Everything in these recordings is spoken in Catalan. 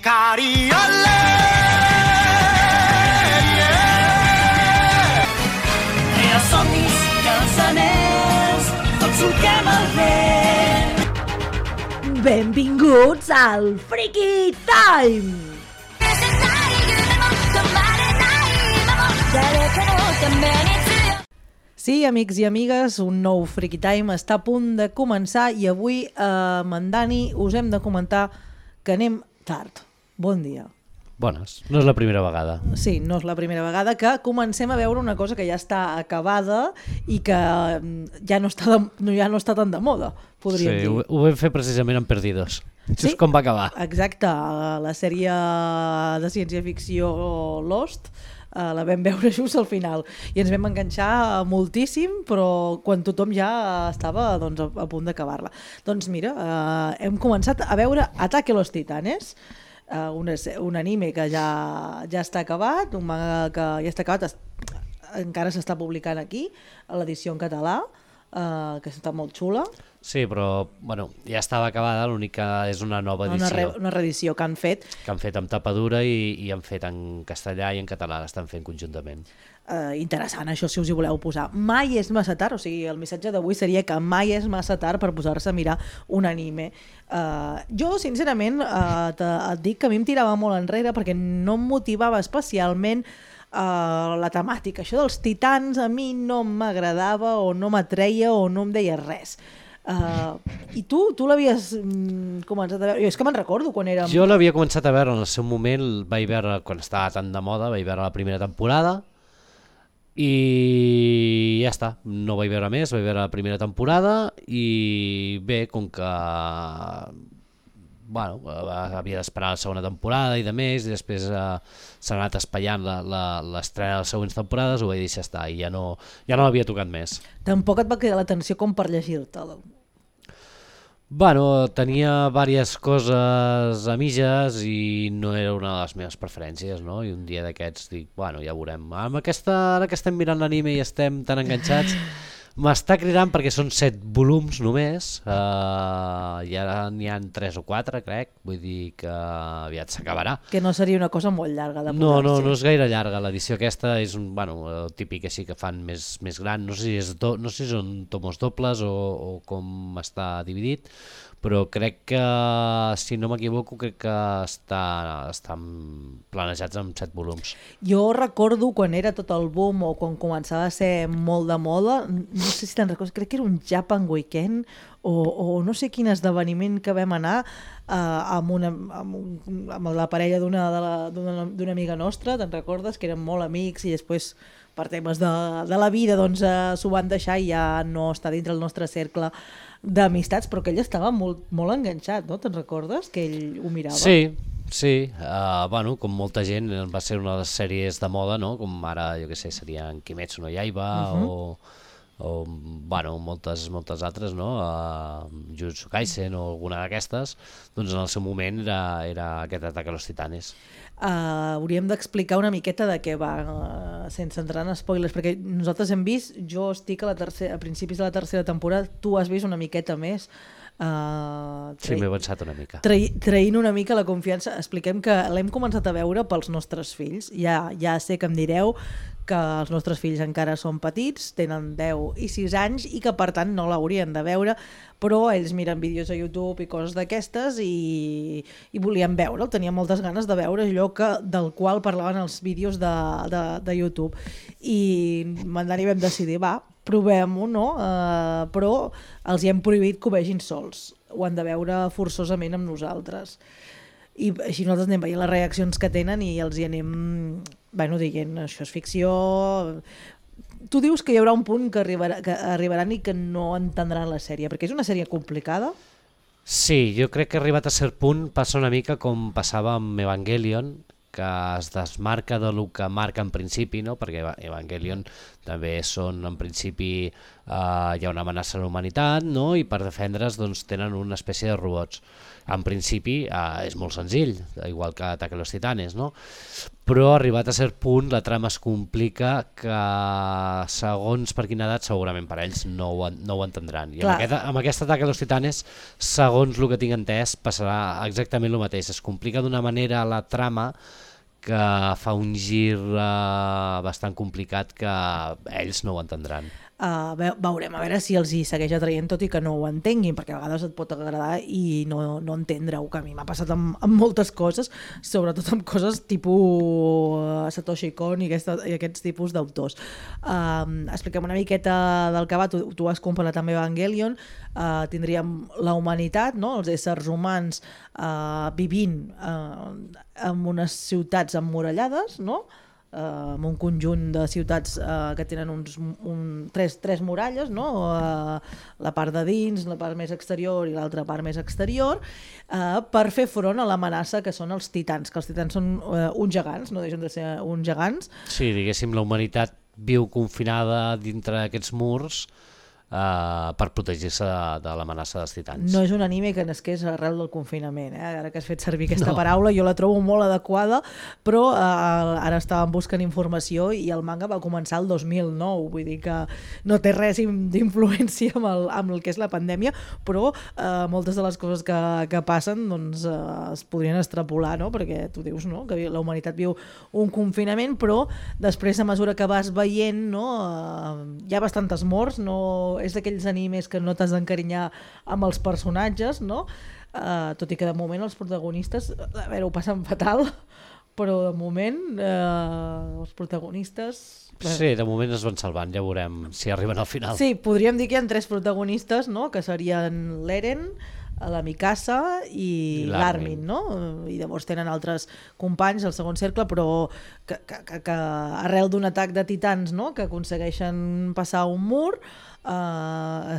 Cariole, els somnis i els anells, tots solquem el vent. Benvinguts al Freaky Time! Sí, amics i amigues, un nou Freaky Time està a punt de començar i avui amb en Dani us hem de comentar que anem tard. Bon dia. Bones, no és la primera vegada. Sí, no és la primera vegada que comencem a veure una cosa que ja està acabada i que ja no està tan de moda, podríem dir. Sí, ho vam fer precisament en Perdidos. Sí? Això és com va acabar. Exacte, la sèrie de ciència-ficció Lost la vam veure just al final i ens vam enganxar moltíssim, però quan tothom ja estava doncs, a punt d'acabar-la. Doncs mira, hem començat a veure Ataque a los Titanes, un anime que ja està acabat, un manga que ja està acabat, encara s'està publicant aquí, a l'edició en català, que està molt xula. Sí, però bueno, ja estava acabada, l'únic que és una nova edició. Una reedició que han fet. Que han fet amb tapa dura i han fet en castellà i en català, l'estan fent conjuntament. Interessant, això, si us hi voleu posar. Mai és massa tard, o sigui, el missatge d'avui seria que mai és massa tard per posar-se a mirar un anime. Jo, sincerament, et dic que a mi em tirava molt enrere perquè no em motivava especialment la temàtica. Això dels titans a mi no m'agradava o no m'atreia o no em deia res. I tu l'havies començat a veure? Jo és que me'n recordo quan érem... Jo l'havia començat a veure en el seu moment, vaig veure quan estava tan de moda, vaig veure la primera temporada i ja està, no vaig veure més, vaig veure la primera temporada i bé, com que bueno, havia d'esperar la segona temporada i de més, i després s'ha anat espaiant l'estrena de les següents temporades, ho vaig deixar estar i ja no l'havia tocat més. Tampoc et va cridar l'atenció com per llegir-te-la? Bueno, tenia diverses coses a mitges i no era una de les meves preferències, no? I un dia d'aquests dic, bueno, ja veurem. Ara que estem mirant l'anime i estem tan enganxats, m'està cridant perquè són 7 volums només, i ara n'hi ha 3 o 4, crec, vull dir que aviat s'acabarà. Que no seria una cosa molt llarga de posar-se. No és gaire llarga, l'edició aquesta és el típic així que fan més gran, no sé si són tomos dobles o com està dividit, però crec que, si no m'equivoco, crec que estan planejats amb 7 volums. Jo recordo quan era tot el boom o quan començava a ser molt de moda, no sé si te'n recordes, crec que era un Japan Weekend o no sé quin esdeveniment que vam anar amb la parella d'una amiga nostra, te'n recordes? Que eren molt amics i després per temes de la vida doncs s'ho van deixar i ja no està dintre el nostre cercle d'amistats, però que ell estava molt, molt enganxat, no? Te'n recordes? Que ell ho mirava. Sí, bueno, com molta gent va ser una de les sèries de moda, no? Com ara, jo què sé, serien Kimetsu no Yaiba o bueno, moltes altres, no? Jujutsu Kaisen o alguna d'aquestes, doncs en el seu moment era aquest Ataque a los Titanes. Hauríem d'explicar una miqueta de què va, sense entrar en spoilers, perquè nosaltres hem vist, jo estic a principis de la tercera temporada, tu has vist una miqueta més. Sí, m'he avançat una mica. Traint una mica la confiança, expliquem que l'hem començat a veure pels nostres fills. Ja sé que em direu que els nostres fills encara són petits, tenen 10 i 6 anys i que per tant no l'haurien de veure, però ells miren vídeos a YouTube i coses d'aquestes i volien veure'l, tenien moltes ganes de veure allò del qual parlaven els vídeos de YouTube. I Mandani vam decidir, provem-ho, no? Però els hi hem prohibit que ho vegin sols, ho han de veure forçosament amb nosaltres. I així nosaltres anem veient les reaccions que tenen i els hi anem dient, això és ficció. Tu dius que hi haurà un punt que arribaran i que no entendran la sèrie, perquè és una sèrie complicada? Sí, jo crec que arribat a cert punt passa una mica com passava amb Evangelion, que es desmarca del que marca en principi, no? Perquè Evangelion també són, en principi, hi ha una amenaça a la humanitat, no? I per defendre's doncs, tenen una espècie de robots. En principi és molt senzill, igual que Ataque a los Titanes, no? Però arribat a cert punt la trama es complica que segons per quina edat segurament per ells no ho entendran. I amb aquest Ataque a los Titanes, segons el que tinc entès, passarà exactament el mateix. Es complica d'una manera la trama que fa un gir bastant complicat que ells no ho entendran. Veurem a veure si els hi segueix atraient tot i que no ho entenguin, perquè a vegades et pot agradar i no entendre-ho, que a mi m'ha passat amb moltes coses, sobretot amb coses tipus Satoshi Kon i aquests tipus d'autors. Expliquem una miqueta del que va, tu has comparat també Evangelion. Tindríem la humanitat, no? Els éssers humans vivint en unes ciutats emmurallades, no? Amb un conjunt de ciutats que tenen tres muralles, no? La part de dins, la part més exterior i l'altra part més exterior, per fer front a l'amenaça que són els titans, que els titans són uns gegants, no deixen de ser uns gegants. Sí, diguéssim, la humanitat viu confinada dintre d'aquests murs per protegir-se de l'amenaça dels titans. No és un anime que nasqués arrel del confinament, ara que has fet servir aquesta paraula, jo la trobo molt adequada, però ara estàvem buscant informació i el manga va començar el 2009, vull dir que no té res d'influència amb el que és la pandèmia, però moltes de les coses que passen doncs, es podrien extrapolar, no? Perquè tu dius, no? Que la humanitat viu un confinament, però després a mesura que vas veient, no? Hi ha bastantes morts, no? És d'aquells animes que no t'has d'encarinyar amb els personatges, no? Tot i que de moment els protagonistes, a veure, ho passen fatal, però de moment els protagonistes... Sí, de moment es van salvant, ja veurem si arriben al final. Sí, podríem dir que hi ha 3 protagonistes, no? Que serien l'Eren, la Mikasa i l'Armin, no? I llavors tenen altres companys al segon cercle, però que arrel d'un atac de titans, no? Que aconsegueixen passar un mur,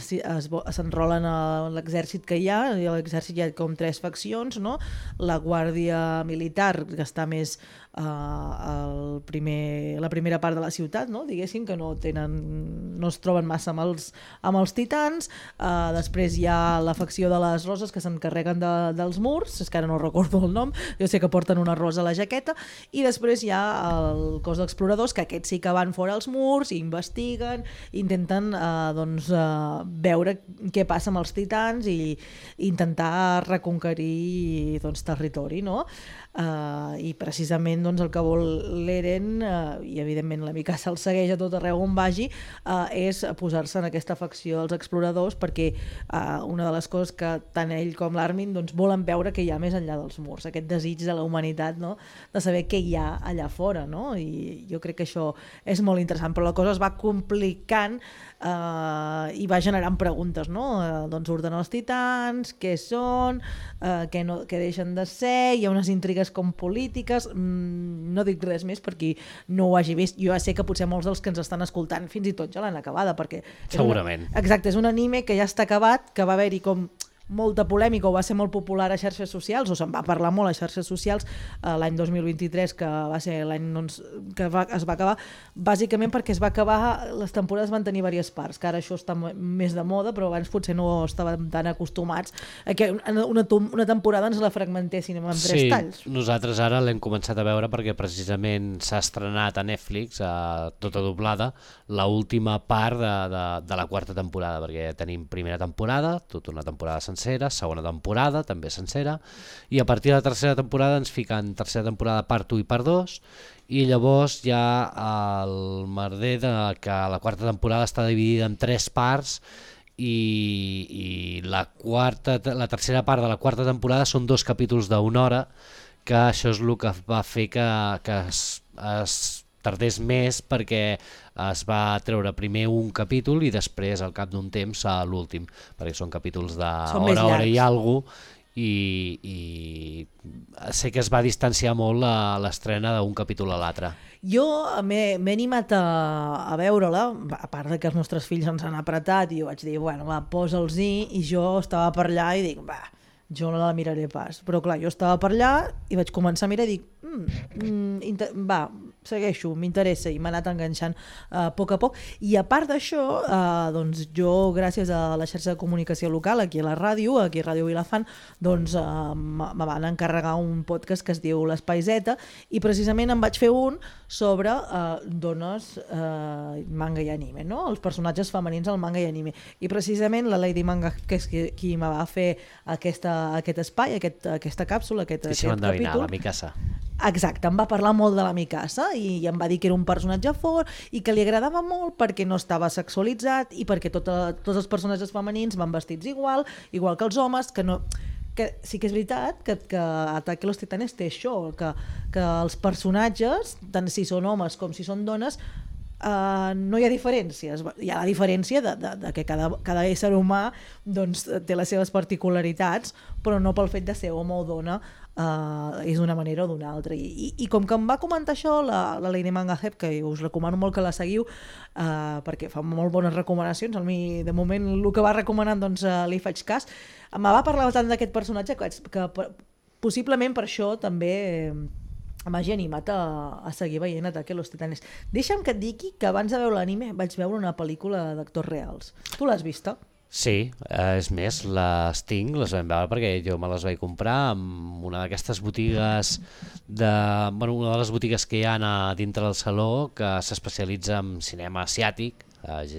s'enrolen a l'exèrcit que hi ha, i a l'exèrcit hi ha com 3 faccions, no? La guàrdia militar, que està més la primera part de la ciutat, no? Diguéssim, que no es troben massa amb els titans. Després hi ha la facció de les roses que s'encarreguen dels murs, és que ara no recordo el nom, jo sé que porten una rosa a la jaqueta, i després hi ha el cos d'exploradors, que aquests sí que van fora als murs, investiguen, intenten veure què passa amb els titans i intentar reconquerir territori, no? I precisament el que vol l'Eren, i evidentment la Mikasa el segueix a tot arreu on vagi, és posar-se en aquesta facció dels exploradors, perquè una de les coses que tant ell com l'Armin volen veure que hi ha més enllà dels murs, aquest desig de la humanitat, no? De saber què hi ha allà fora, no? I jo crec que això és molt interessant, però la cosa es va complicant i va generant preguntes, no? Ordenar els titans, què són, què deixen de ser, hi ha unes intrigues com polítiques, no dic res més perquè no ho hagi vist. Jo ja sé que potser molts dels que ens estan escoltant fins i tot ja l'han acabada, perquè segurament. Exacte, és un anime que ja està acabat, que va haver-hi com molta polèmica o va ser molt popular a xarxes socials, o se'n va parlar molt a xarxes socials l'any 2023, que va ser l'any que es va acabar, bàsicament perquè es va acabar, les temporades van tenir diverses parts, que ara això està més de moda, però abans potser no estàvem tan acostumats a que una temporada ens la fragmentessin amb 3 talls. Sí, nosaltres ara l'hem començat a veure perquè precisament s'ha estrenat a Netflix, tota doblada, l'última part de la 4ª temporada, perquè tenim primera temporada, tota una temporada sencera, segona temporada també sencera, i a partir de la 3ª temporada ens fiquen 3ª temporada part 1 i part 2, i llavors hi ha el merder que la 4ª temporada està dividida en 3 parts, i la 3ª part de la 4ª temporada són 2 capítols d'1 hora, que això és el que va fer que es tardés més, perquè es va treure primer un capítol i després al cap d'un temps l'últim, perquè són capítols d'hora i alguna cosa, i sé que es va distanciar molt l'estrena d'un capítol a l'altre. Jo m'he animat a veure-la, a part de que els nostres fills ens han apretat i jo vaig dir, bueno, va, posa'ls-hi, i jo estava per allà i dic, va, jo no la miraré pas. Però clar, jo estava per allà i vaig començar a mirar i dic, segueixo, m'interessa i m'ha anat enganxant a poc, i a part d'això, doncs jo gràcies a la xarxa de comunicació local aquí a la ràdio, aquí a Ràdio Vilafant, doncs me van encarregar un podcast que es diu l'Espai Z i precisament em vaig fer un sobre dones manga i anime, no? Els personatges femenins al manga i anime, i precisament la Lady Manga, que és qui me va fer aquest espai, aquesta càpsula, aquest capítol. La Mikasa. Exacte, em va parlar molt de la Mikasa i em va dir que era un personatge fort i que li agradava molt perquè no estava sexualitzat i perquè tots els personatges femenins van vestits igual que els homes, que sí que és veritat que Ataque a los Titanes té això, que els personatges, tant si són homes com si són dones, no hi ha diferències. Hi ha la diferència de que cada ésser humà doncs, té les seves particularitats, però no pel fet de ser home o dona és d'una manera o d'una altra. I com que em va comentar això la Lady Manga Hep, que us recomano molt que la seguiu perquè fa molt bones recomanacions, de moment el que va recomanant doncs, li faig cas, me va parlar tant d'aquest personatge que possiblement per això també m'hagi animat a seguir veient Ataque a los Titanes. Deixa'm que et digui que abans de veure l'anime vaig veure una pel·lícula d'actors reals. Tu l'has vista? Sí, és més, les tinc, les vam veure perquè jo me les vaig comprar en una d'aquestes botigues una de les botigues que hi ha dintre del saló que s'especialitza en cinema asiàtic,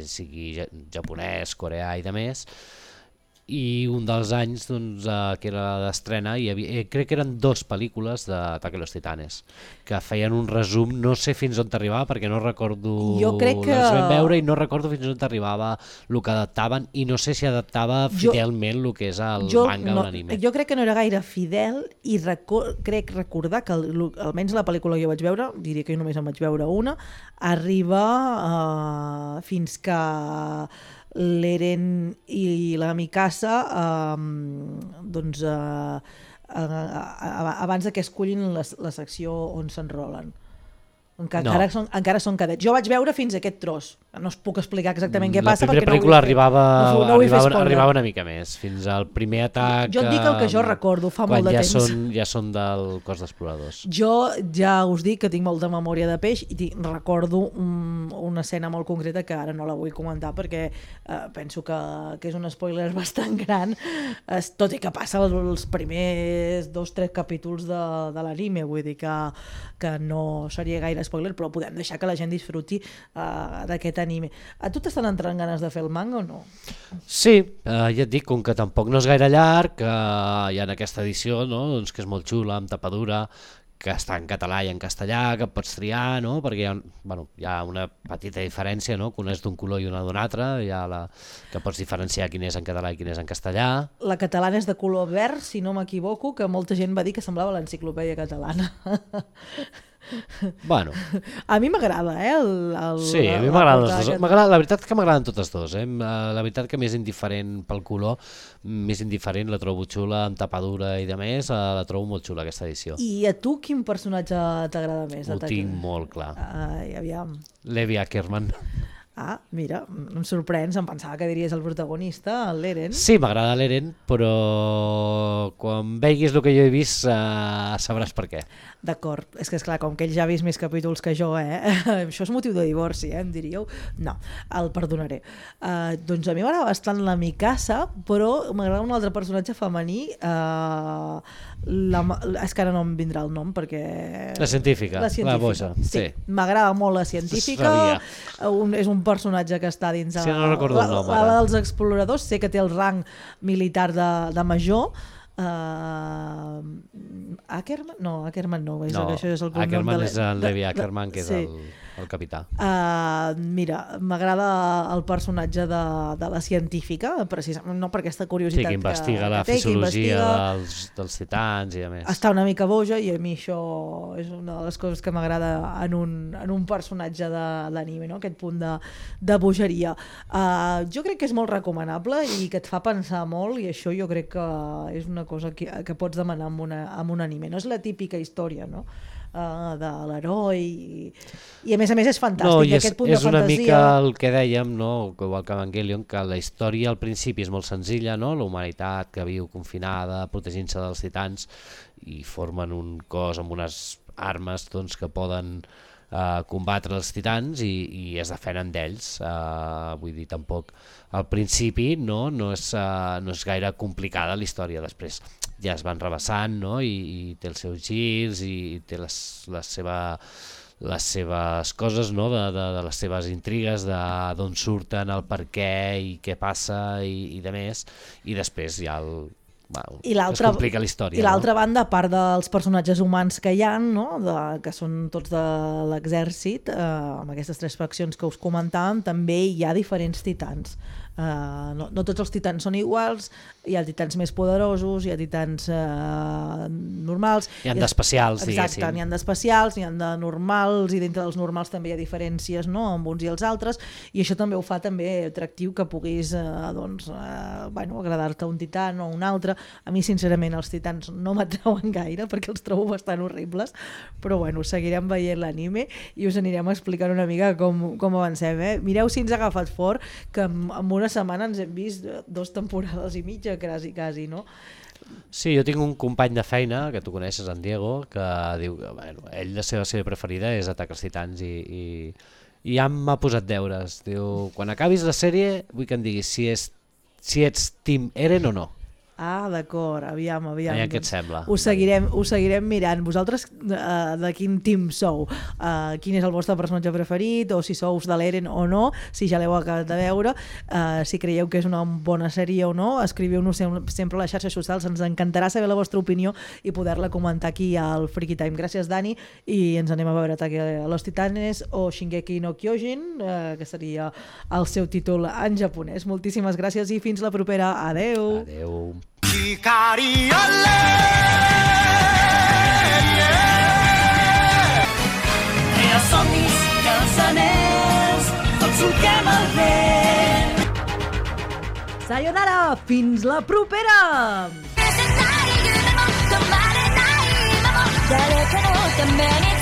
sigui japonès, coreà i demés. I un dels anys doncs, que era d'estrena crec que eren 2 pel·lícules d'Ataque a los Titanes que feien un resum, no sé fins on t'arribava perquè no recordo, jo crec que... les vam veure i no recordo fins on t'arribava el que adaptaven i no sé si adaptava fidelment el que és el manga o l'anime. Jo crec que no era gaire fidel i crec recordar que almenys la pel·lícula que jo vaig veure, diria que jo només en vaig veure una, arriba fins que l'Eren i la Mikasa doncs abans que escollin la secció on s'enrolen. Encara són cadets. Jo vaig veure fins a aquest tros. No us puc explicar exactament què passa. La primera pel·lícula arribava una mica més, fins al primer atac. Jo et dic el que jo recordo, fa molt de temps. Ja són del cos d'exploradors. Jo ja us dic que tinc molta memòria de peix i recordo una escena molt concreta que ara no la vull comentar perquè penso que és un spoiler bastant gran, tot i que passa els primers 2-3 capítols de l'anime, vull dir que no seria gaire spoiler, però podem deixar que la gent disfruti d'aquest anime. A tu t'estan entrant ganes de fer el manga o no? Sí, ja et dic, com que tampoc no és gaire llarg, hi ha aquesta edició, no? Doncs que és molt xula, amb tapadura, que està en català i en castellà, que pots triar, no? Perquè hi ha una petita diferència, no? Que una és d'un color i una d'un altre, que pots diferenciar quin és en català i quin és en castellà. La catalana és de color verd, si no m'equivoco, que molta gent va dir que semblava l'enciclopèdia catalana. Bueno. A mi m'agrada, sí, a mi m'agrada. La veritat que m'agraden totes dues. La veritat que més indiferent pel color, més indiferent, la trobo xula, amb tapadura i de més, la trobo molt xula aquesta edició. I a tu quin personatge t'agrada més? Ho tinc molt clar. Aviam. Levi Ackerman. Ah, mira, em sorprens, em pensava que diries el protagonista, l'Eren. Sí, m'agrada l'Eren, però quan veguis el que jo he vist sabràs per què. D'acord, és que esclar, com que ell ja ha vist més capítols que jo, això és motiu de divorci, em diríeu? No, el perdonaré. Doncs a mi m'agrada bastant la Mikasa, però m'agrada un altre personatge femení, és que ara no em vindrà el nom perquè... La científica, la boja. Sí, m'agrada molt la científica, és un personatge que està dins sí, no recordo el nom, la dels exploradors, sé que té el rang militar de major. Ackerman? No, Ackerman no, això és el cognom Ackerman és el Levi Ackerman, que és el capità. Mira, m'agrada el personatge de la científica, precisament no per aquesta curiositat que investiga la fisiologia dels titans i a més. Està una mica boja i a mi això és una de les coses que m'agrada en un personatge d'anime, no? Aquest punt de bogeria. Jo crec que és molt recomanable i que et fa pensar molt, i això jo crec que és una cosa que pots demanar amb un anime. No és la típica història, no? De l'heroi i a més és fantàstic, aquest punt de fantasia. És una mica el que dèiem, no? Igual que Evangelion, que la història al principi és molt senzilla, no? La humanitat que viu confinada protegint-se dels titans i formen un cos amb unes armes doncs, que poden combatre els titans i es defenen d'ells. Vull dir, tampoc al principi no és gaire complicada la història, després ja es van rebassant, no? I té els seus girs i té les seves coses, no? de les seves intrigues, d'on surten, el per què i què passa i de més, i després ja es complica la història. I l'altra banda, a part dels personatges humans que hi ha, no? Que són tots de l'exèrcit, amb aquestes 3 faccions que us comentàvem, també hi ha diferents titans. No tots els titans són iguals, hi ha titans més poderosos, hi ha titans normals, hi ha d'especials, diguéssim. Exacte, n'hi ha d'especials, n'hi ha de normals, i dintre dels normals també hi ha diferències, no? Amb uns i els altres, i això també ho fa també atractiu que puguis agradar-te un titan o un altre. A mi sincerament els titans no m'atrauen gaire perquè els trobo bastant horribles, però bueno, seguirem veient l'anime i us anirem explicant una mica com avancem, eh? Mireu si ens ha agafat fort, que amb una setmana ens hem vist 2 temporades i mitja, quasi, no? Sí, jo tinc un company de feina, que tu coneixes, en Diego, que diu que ell la seva sèrie preferida és Atac als Titans i ja m'ha posat deures. Diu, quan acabis la sèrie vull que em diguis si ets Team Eren o no. Ah, d'acord, aviam. Què et sembla? Ho seguirem mirant. Vosaltres de quin team sou? Quin és el vostre personatge preferit? O si sous de l'Eren o no? Si ja l'heu acabat de veure? Si creieu que és una bona sèrie o no? Escriviu-nos sempre a les xarxes socials. Ens encantarà saber la vostra opinió i poder-la comentar aquí al Freaky Time. Gràcies, Dani. I ens anem a veure Ataque a los Titanes o Shingeki no Kyojin, que seria el seu títol en japonès. Moltíssimes gràcies i fins la propera. Adeu. Adeu. Els somnis i els anells, tots solquem el vent. Sayonara, fins la propera! 誰かのために